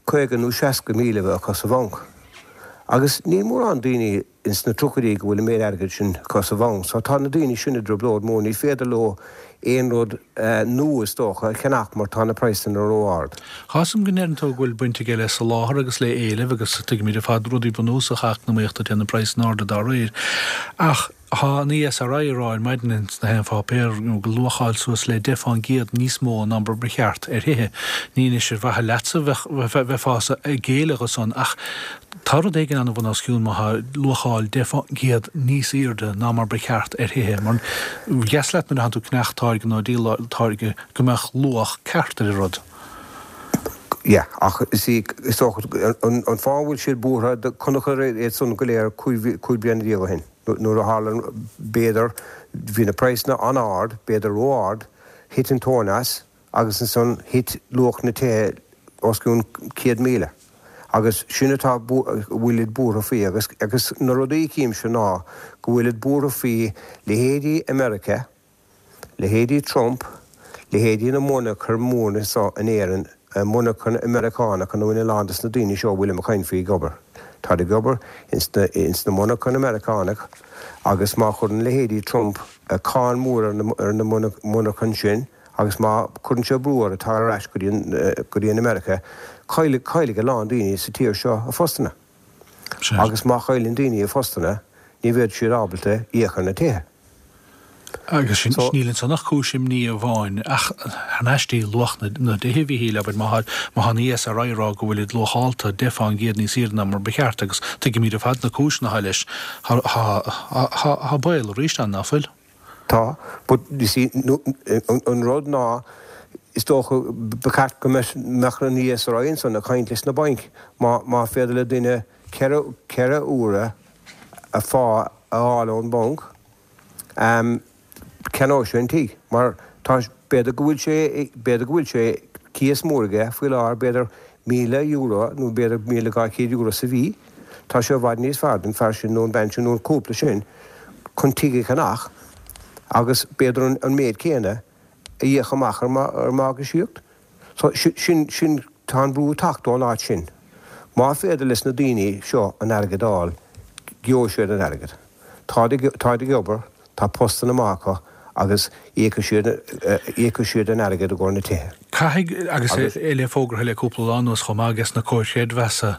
50 nó 60,000 a bheith acu sa bhanc. Agus níl mórán daoine. ins na tríochaidí go bhfuil an méid airgid sin acu sa bhanc. So tá na daoine sin i dtrioblóid mhór. Ní féidir leo aon rud nua is dócha a cheannach mar tá na praghsanna ró-ard. Tá 'fhios a'm go ndeireann tú go bhfuil baint aige le soláthar agus le éileamh agus tuigimid ar fad rudaí bunúsacha eacnamaíochta téann na praghsanna arda dá réir. Ach tá an ESRI ag rá ar maidin ins na haon pháipéar go luacháil suas le 10 fán gcéad níos mó ná mar ba cheart ar thithe. Ní anois ar mhaithe leatsa a bheifeása ag géilleadh dho san ach Tá rud éigin an-bhunoscionn má tá luacháil 10% níos airde ná mar ba cheart ar thithe. Mar dheas leat nuair atánn tú ag ceannach táirge nó ag díol táirge go mbeadh luach ceart ar an rud. Yeah, ach is í, is dócha, an fáth a bhfuil siad buartha, chonaiceadar iad san go léir 15 bliana ó shin, nuair a tharla, b'fhéidir, bhí na praghsanna an-ard, b'fhéidir ró-ard, thit an tóin as, agus ansan thit luach na tithe os cionn 100,000 agus sin atá a bhfuilid buartha faoi agus agus na rudaí a chímse ná go bhfuilid buartha faoi leithéidí America, leithéidí Trump, leithéidí na monarchan mór anso in Éirinn, monarchan Meiriceánach ina bhfuil a lán des na daoine seo a bhfuilim ag caint faoi ag obair. Táid ag obair ins na ins na monarchan Meiriceánach agus má chuireann leithéidí Trump cáin mhór ar na monarchan sin, Agus má chuireann sé brú orthu teacht ar ais go dtí go dtí an America, caillfidh caillfidh a lán daoine sa tír seo a phostanna. Agus má chailleann daoine a phostanna, ní bheidh siad ábalta íoc ar na tithe. Agus sin, níl ansan ach cúis imní amháin, ach thar n-ais dtí luach na dtithe, a Mhíchíl, abair, má tá an ESRI ag rá go bhfuilid luachálta 10 fán gcéad níos aoirde ná mar ba cheart, agus tuigimid ar fad na cúiseanna atá leis, tá baol arís ann, ná fuil? Tá, but you see, an rud ná, is dócha, ba cheart go mbeadh an ESRI ansan ag caint leis na bainc, má féidir le duine 4 uaire a phá a fháil ón mbanc, ceannóidh sé an tigh, mar tá, b'fhéidir go bhfuil sé, b'fhéidir go bhfuil sé cíos mór aige faoi láthair, b'fhéidir €1,000 nó b'fhéidir €1,200 sa mhí, tá sé i bhfad níos fearr don fear sin nó an bean sin nó an cúpla sin chun tigh a cheannach agus b'fhéidir an méid céanna a íoc amach ar mhorgáisíocht. So, sin, sin, tá an brú ag teacht ón áit sin. Má féidir leis na daoine seo an airgead a fháil, gheobhaidh siad an airgead. Táid ag, táid ag obair, tá postanna maith acu agus íocfaidh siad, íocfaidh siad an airgead i gcomhair na tithe. Caithfidh, agus é le fógartha le cúpla lá anuas chomh maith ages na comhair chreidmheasa,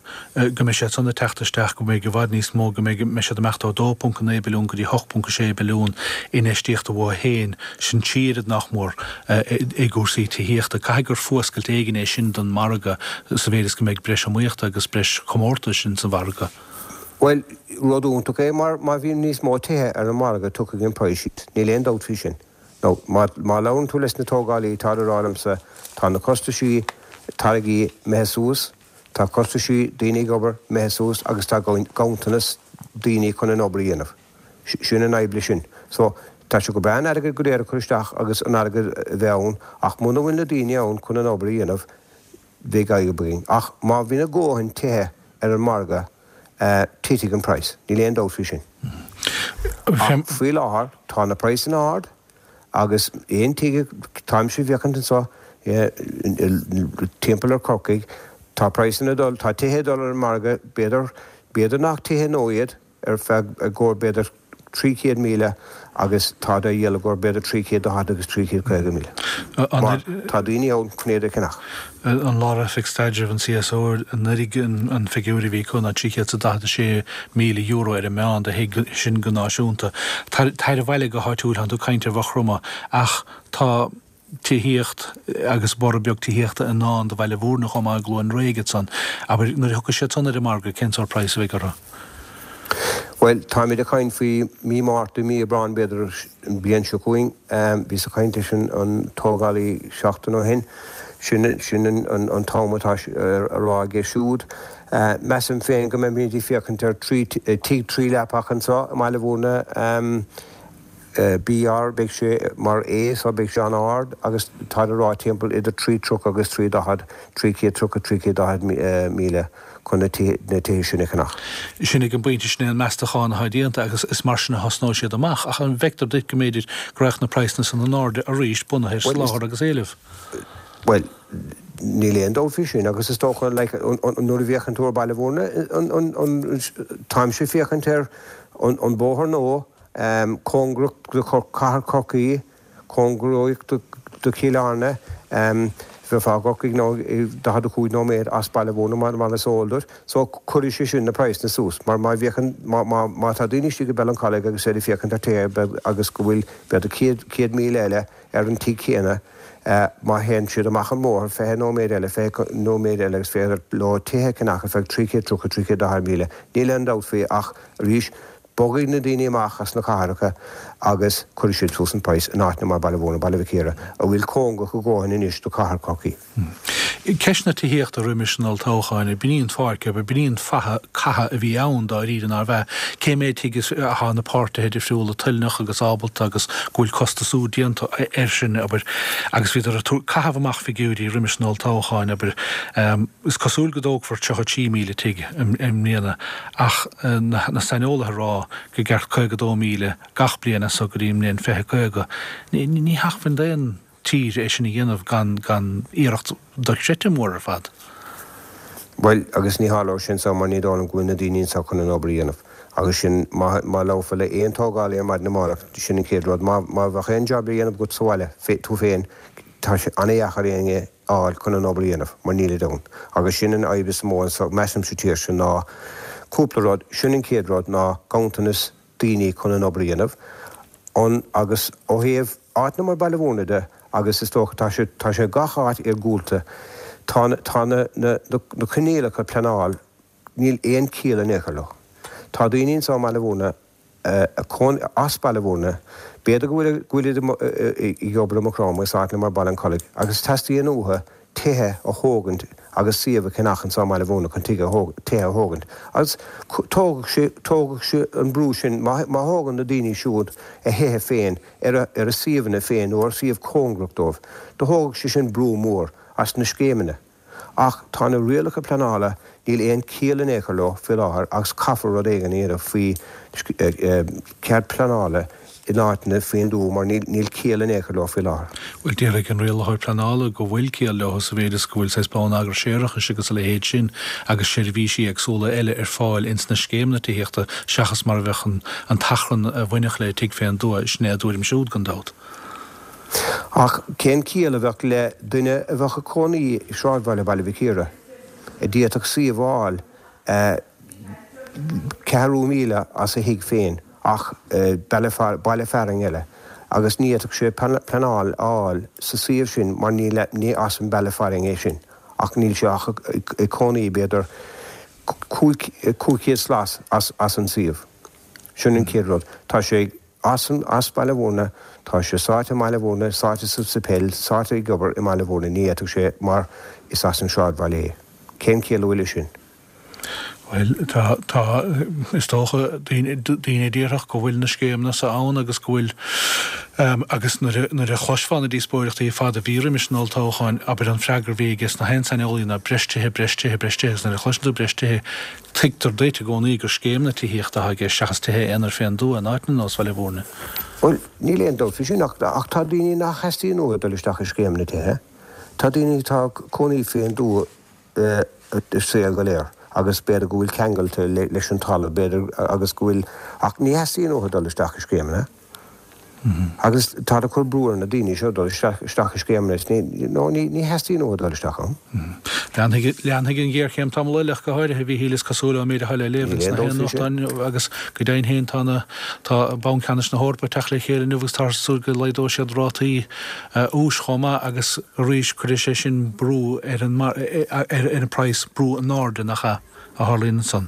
go mbeidh siad san ag teacht isteach, go mbeidh i bhfad níos mó, go mbeidh, mbeidh siad ag imeacht ó 2.9 billiún go dtí 8.6 billiún infheistíochta uathu féin. Sin trí oiread nach mór i gcúrsaí tithíochta. Caithfidh gur fuascailt éigin é sin don mhargadh sa mhéid is go mbeidh breis iomaíochta agus breis comórtais ins an mhargadh. Bhuel, rud iontach é mar má bhíonn níos mó tithe ar an margadh tiocfaidh an praghas síos. Níl aon dabht faoi sin. Now, má labhrann tú leis na tógálaí táid ag rá liomsa tá na costaisí táirgí imithe suas, tá costaisí daoine ag obair imithe suas agus tá ganntanas daoine chun an obair a dhéanamh. Sin an fhadhb leis sin. So, tá sé go breá an airgead go léir a chur isteach agus an airgead a bheith ann ach muna bhfuil na daoine ann chun an obair a dhéanamh, bheidh fadhb againn. Ach má bhíonn a dhóthain tithe ar an margadh, titfidh an praghas. Níl aon dabht faoi sin. Ach faoi láthair, tá na praghsanna ard agus aon tigh, táimse ag féachaint anseo timpeall ar Chorcaigh, tá praghsanna ag dul, tá tithe ag dul ar an margadh, b'fhéidir, b'fhéidir nach tithe nua iad, ar feadh i gcomhair b'fhéidir 300,000 agus táid á dhíol i gcomhair b'fhéidir 340 agus 350,000. Mar tá daoine ann chun iad a cheannach. An Lár-Oifig Staidrimh, an CSO, anuraidh an figiúr a bhí acu ná €346,000 ar an meán do thigh, sin go náisiúnta. Tar abhaile go háitiúil, tánn tú ag caint ar Mhaigh Chromtha ach tá. tithíocht agus borradh beag tithíochta i ndán do Bhaile Bhúirne chomh maith i gCluain Fhraoigh ansan. Abair, nuair a thiocfaidh siad san ar an margadh, cén sórt praghas a bheidh orthu? Bhuel, táimid ag caint faoi mí Márta, mí Aibreáin b'fhéidir an bhliain seo chugainn. Bhíos ag caint leis an tógálaí seachtain ó shin. Sin, sin an t-am atá á rá aige siúd. Measaim féin go mbeimid ag féachaint ar tigh tríleapach anseo i mBaile Bhúirne. BR, Beidh sé mar A so beidh sé an-ard agus táid ag rá timpeall idir 330 agus 340, 330, 340 míle chun na tithe sin a cheannach. Sin ag an bpointe sin é an meastachán atá déanta agus is mar sin a thosnóidh siad amach. Ach an bhfeictear duit go mb'fhéidir go raghadh na praghsanna san in airde arís bunaithe ar soláthar agus éileamh? Bhuel, níl aon dabht faoi sin agus is dócha like nuair a bhféachann tú ar Baile Bhúirne táimse ag féachaint ar an bóthar nua, Cóngarach do Chathair Chorcaí, cóngarach do Chill Airne, bheifeá i gCorcaigh nó i 45 nóiméad as Baile Bhúirne mar is eol duit. So cuirfidh sé sin na praghsanna suas mar má bhféachann, má tá daoine istigh i Ballincollig agus iad ag féachaint ar tithe agus go bhfuil b'fhéidir 100,000 eile ar an tigh céanna, má théann siad amach an bóthar 20 nóiméad eile, 20 nóiméad eile agus féidir leo tithe a cheannach ar feadh 330, 340 míle, níl aon dabht faoi ach arís Bogfaidh na daoine amach as na cathracha agus cuirfidh siad suas an praghas in áiteanna mar Baile Bhúirne, Baile Mhic Íre, a bhfuil cóngarach a dhóthain anois do chathair Chorcaí. Ceist na tithíochta roimis an olltoghchán, b'in í an pháirc, b'in í an faiche catha a bhí ann dáiríre, nárbh ea? Cé mhéad tigh atá na páirtithe difriúla toilneach agus ábalta agus go bhfuil costasú déanta air sin, abair, agus bhíodar ag caitheamh amach figiúirí roimis an olltoghchán, abair. Is cosúil go dtógfar 33,000 tigh i mbliana. Ach na saineolaithe ag rá go gceart 52,000 gach bliain as so go dtí an mbliain 2050, ní hacmhainn d'aon tír é sin a dhéanamh gan gan iarracht dochreidte mór ar fad. Bhuel, agus ní tharlóidh sin so mar ní dóigh liom go bhfuil na daoine anseo chun an obair a dhéanamh. Agus sin, má má labharfá le aon tógálaí ar maidin amárach, sin an chéad rud. Má má bheadh aon jab le dhéanamh agat sa bhaile, tú féin, tá sé an-dheacair éinne a fháil chun an obair a dhéanamh, mar nílid ann. Agus sin an fhadhb is mó anso, measaim, sa tír seo, ná cúpla rud. Sin an chéad rud, ná ganntanas daoine chun an obair a dhéanamh. An, agus ó thaobh áiteanna mar Baile Mhúirne de, agus is dócha tá sé, tá sé gach áit iargúlta, tá na, tá na, na, na coinníollacha pleanáil, níl aon chiall in aon chor leo. Tá daoine anso i mBaile Mhúirne, a, as Baile Mhúirne, b'fhéidir go bhfuil, go bhfuil siad ag obair i Maigh Chromtha is áiteanna mar Baile an Chollaigh agus teastaíonn uathu tithe a thógaint agus suíomh a cheannach anso i mBaile Mhúirne chun tithe a thógaint. Agus tógfaidh sé, tógfaidh sé an brú sin, má, má thógann na daoine siúd a thithe féin ar a, ar a suíomhanna féin nó ar suíomh cóngarach dóibh, do thógfadh sé sin brú mór as na scéimeanna. Ach tá na rialacha pleanála, níl aon chiall in aon chor leo faoi láthair agus caithfear rud éigin a dhéanamh faoi chead pleanála in áiteanna faoin dtuath mar níl ciall in aon chor leo faoi láthair. Bhuel, déarfaidh an rialaitheoir pleanála go bhfuil ciall leo sa mhéid is go bhfuil saghas bonneagar séarachais agus a leithéid sin agus seirbhísí éagsúla eile ar fáil ins na scéimeanna tithíochta seachas mar a bheadh an t-achrann a bhainfeadh le tigh fén dtuath. Sin é a dtuairim siúd, gan dabht. Ach cén ciall a bheadh le duine a bheadh ag cónaí i sráidbhaile Baile Mhic Íre, a d'fhéadfadh suíomh a fháil ceathrú míle as a thigh féin ach baile fearainn eile, agus ní fhéadfadh sé pleanáil a fháil sa suíomh sin mar ní as an baile fearainn é sin ach níl sé ach ag cónaí b'fhéidir 500 slat as an suíomh. Sin an chéad rud. Tá sé ag. As an, as Baile Mhúirne, tá sé sáite i mBaile Mhúirne, sáite sa sa peil, sáite ag obair i mBaile Mhúirne, ní fhéadfadh sé mar is as an sráidbhaile é. Cén chiall a bhfuil leis sin? Bhuel, tá, tá, is dócha, daoine, daoine a déarfadh go bhfuil na scéimeanna so ann agus go bhfuil, agus nuair a, nuair a chloisfeá na díospóireachtaí ar fad a bhí roimis an olltoghchán, abair an freagra a bhí aige sna haon saineolaí ná breis tithe, breis tithe, breis tithe agus nuair a chloiseann tú breis tithe, Tuigtear duit i gcónaí gur scéimeanna tithíochta atá i gceist seachas tithe aonair fén dtuath in áiteanna ar nós Bhaile Mhúirne. Bhuel, níl aon dabht faoi sin ach tá daoine nach theastaíonn uathu dul isteach i scéimeanna tithe. Tá daoine atá ag cónaí fén dtuath a saol go léir agus b'fhéidir go bhfuil ceangailte leis an talamh, b'fhéidir, agus go bhfuil, ach ní theastaíonn uathu dul isteach i scéimeanna. Agus táid ag cur brú ar na daoine seo dul isteach i scéimeanna is ní, no, ní, ní theastaíonn uathu dul isteach ann. Leanfaidh, leanfaidh an ghéarchéim tamall eile ach go háirithe, a Mhíchíl, is cosúil ón méid atá le léamh ins na haon nuachtáin agus go deimhin féin tá na, tá Banc Ceannais na hEorpa ag teacht le chéile inniu agus táthar ag súil go laghdóidh siad rátaí úis chomh maith agus arís cuirfidh sé sin brú ar an, ar, ar an praghas, brú in airde, nach ea, a tharlaíonn ansan.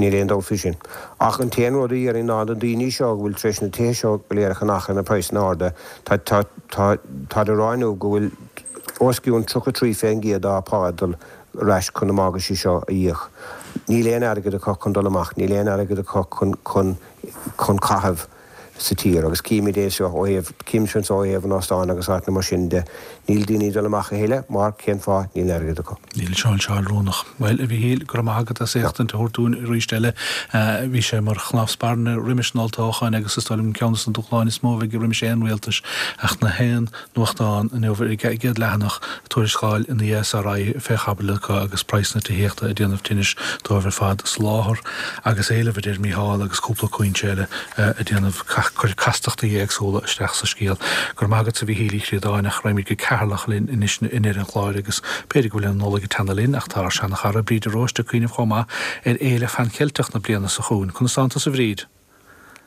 Níl aon dabht faoi sin. Ach an t-aon rud a dhéarfainn ná na daoine seo a bhfuil tar éis na tithe seo go léir a cheannach ar na praghsanna arda, tá, tá, tá, táid ag rá inniu go bhfuil os cionn 33% dá pá ag dul ar ais chun na morgáistí seo a íoc. Níl aon airgead acu chun dul amach, níl aon airgead acu chun, chun, chun caitheamh. sa tír agus címid é seo ó thaobh, címid seo ó thaobh an óstáin agus áiteanna mar sin de. Níl daoine ag dul amach a thuilleadh mar cén fáth, níl airgead acu. Níl sé oiriúnach. Bhuel, a Mhíchíl, go raibh maith agat as éachtaint a thabhairt dúinn arís eile. Bhí sé mar chnámh spairne roimis an olltoghchán agus is dóigh liom ceann de na dúshláin is mó a bheidh roimis aon rialtas ach na haon nuachtán inniu ar an gcéad leathanach, tuarascáil an ESRI fé chaibidil acu agus praghas na tithíochta ag déanamh tinnis dóibh ar fad, soláthar agus éileamh a deir Mícheál agus cúpla cúinse eile ag déanamh cur castachtaí éagsúla isteach sa scéal. Go raibh maith agatsa a Mhíchíl Uí Chríodáin ach raghaimid go Ceatharlach linn anois i ndeireadh an chláir agus b'fhéidir go bhfuil an Nollaig ag teannadh linn ach tá ár seana-chara Bríd de Róiste ag cuimhneamh chomh maith ar Fhéile Phan Cheilteach na bliana seo chugainn. Conas tánn tusa a Bhríd?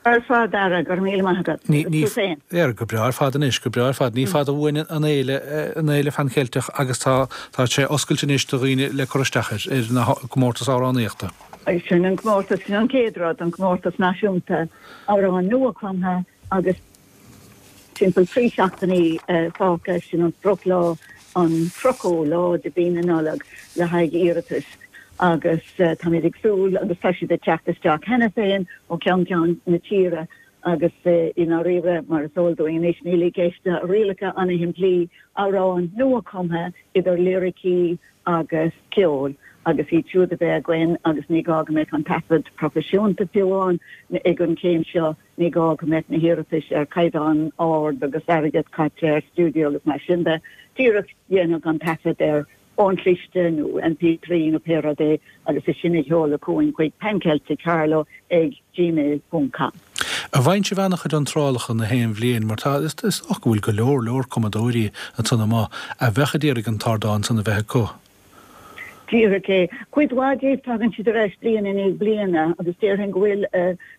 Ar fad, a Dhara, go raibh míle maith agat. Ní, ní, Tú féin? Ar, go breá ar fad anois, go breá ar fad. Ní fada uainn an fhéile, an fhéile Phan Cheilteach agus tá, tá sé oscailte anois do dhaoine le cur isteach air, ar na comórtas amhránaíochta. Sin an comórtas, sin an chéad rud, an comórtas náisiúnta amhrán nua-chumtha agus Timpeall 3 seachtainí fágtha, sin an sprioclá, an 30ú lá de mhí na Nollag le haghaidh iarratais agus táimid ag súil agus tá siad ag teacht isteach cheana féin ó cheann ceann na tíre agus i ndáiríre, mar is eol dúinn anois, níl i gceist ach rialacha an-shimplí, amhráin nua-chumtha idir liricí agus ceol agus iad siúd a bheith againn agus ní gá go mbeadh an taifead proifisiúnta fiú amháin ag an chéim seo. Ní gá go mbeadh na hiarratais ar chaighdeán ard agus airgead caite ar stiúideo agus mar sin de. Díreach déanadh an taifead ar fhón cliste nó MP3 nó pé rud é agus é sin a sheoladh chugainn chuig pancelticcarlow ag gmail ponc com. An bhfaigheann sibh an-chuid iontrálacha na haon bhliain mar tá, is dócha go bhfuil go leor leor cumadóirí ansan amuigh a bheadh a d'iarraidh an t-ardán san a bheith acu. Díreach é. Cuid mhaith díobh tagann siad ar ais bliain i ndiaidh bliana agus déarfainn go bhfuil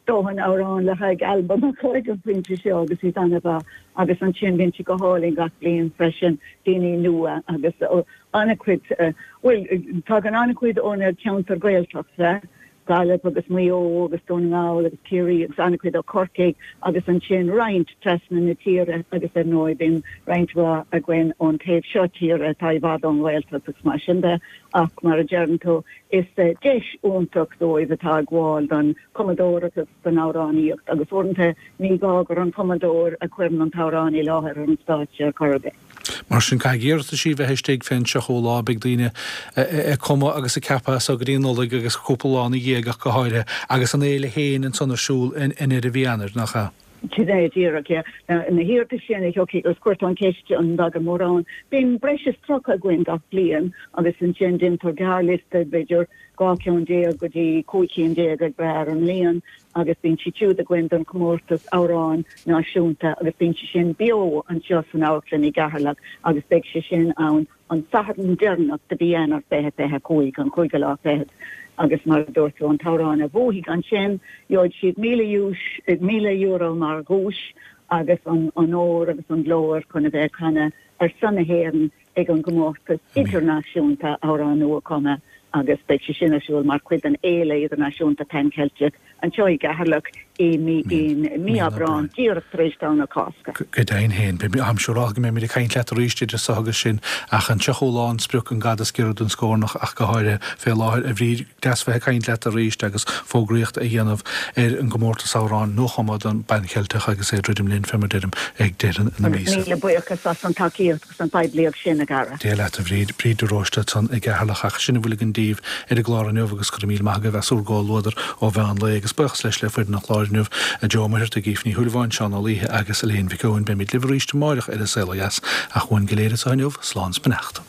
dóthain amhrán le haghaidh albam acu ag an phointe seo agus iad an-mhaith agus ansin bíonn siad go hálainn gach bliain freisin, daoine nua agus an-chuid, bhuel tagann an-chuid ó na ceantair Ghaeltachta. Gaillimh agus Maigh Eo agus Dún na nGall agus Ciarraí agus an-chuid ó Chorcaigh agus ansin roinnt trasna na tíre agus ar ndóigh bíonn roinnt mhaith againn ón taobh seo tíre atá i bhfad ón nGaeltacht agus mar sin de ach mar a deireann tú is deis iontach dóibh atá ag gabháil don chumadóireacht agus don amhránaíocht agus uaireanta ní gá gur an cumadóir a chuireann an t-amhrán i láthair ar an stáitse ar chor ar bith. Mar sin, caithfidh iarrataisí bheith istigh fén 30ú lá, beidh daoine ag cumadh agus ag ceapadh as so go dtí an Nollaig agus cúpla lá ina dhiaidh ach go háirithe, agus an fhéile féin ansan ar siúl i ndeireadh mhí Eanáir, nach ea? Sin é díreach, yeah. Na hiarratais sin a thiocfaidh, agus chuir tú an cheist an dtagann mórán, bíonn breis is 30 againn gach bliain agus ansin déantar gearrliosta, b'fhéidir 12 ceann go dtí 15 cinn ag brath ar an mbliain agus bíonn siad siúd againn don chomórtas amhráin náisiúnta agus bíonn sé sin beo anseo san amharclann i gCeatharlach agus beidh sé sin ann an Satharn deireanach de mhí Eanáir 2025, an cúigiú lá fichead agus mar a dúirt tú an t-amhrán a bhuafaidh ansin gheobhaidh siad €1,000 mar dhuais agus an onóir agus an glór chun a bheith ag canadh ar son na hÉireann ag an gcomórtas idirnáisiúnta Amhrán Nua-Chumtha agus beidh sé sin ar siúl mar chuid den Fhéile Idirnáisiúnta Pan Ceilteach anseo i gCeatharlach i mí Aibreán, díreach tar éis Domhnach Cásca. Go deimhin féin, beidh, táim siúrálta go mbeimid ag caint leat arís idir so agus sin, ach an 30ú lá an sprioc, an gad is giorra don scornach ach go háirithe fé láthair, a Bhríd, deas bheith ag caint leat arís agus fógraíocht a dhéanamh ar an gcomórtas amhráin nuachumtha don bPan Cheilteach agus é ag druidim linn, fé mar deirim, ag deireadh na míosa. Míle buíochas as an tacaíocht. agus an phoiblíocht sin, a Dhara. Dia leat, a Bhríd. Bríd de Róiste ansan i gCeatharlach. Ach sin a bhfuil againn daoibh ar an gclár inniu agus go raibh míle maith agaibh as úr gcomhluadar ó mheán lae. Agus buíochas leis le foireann an chláir inniu, Joe Ó Muircheartaigh, Aoife Ní Shúilleabháin, Seán Ó Laoithe agus Elaine Mhic Eoin. Beimid libh arís amáireach ar An Saol Ó Dheas. Ach uainn go léir anseo inniu, slán 's beannacht.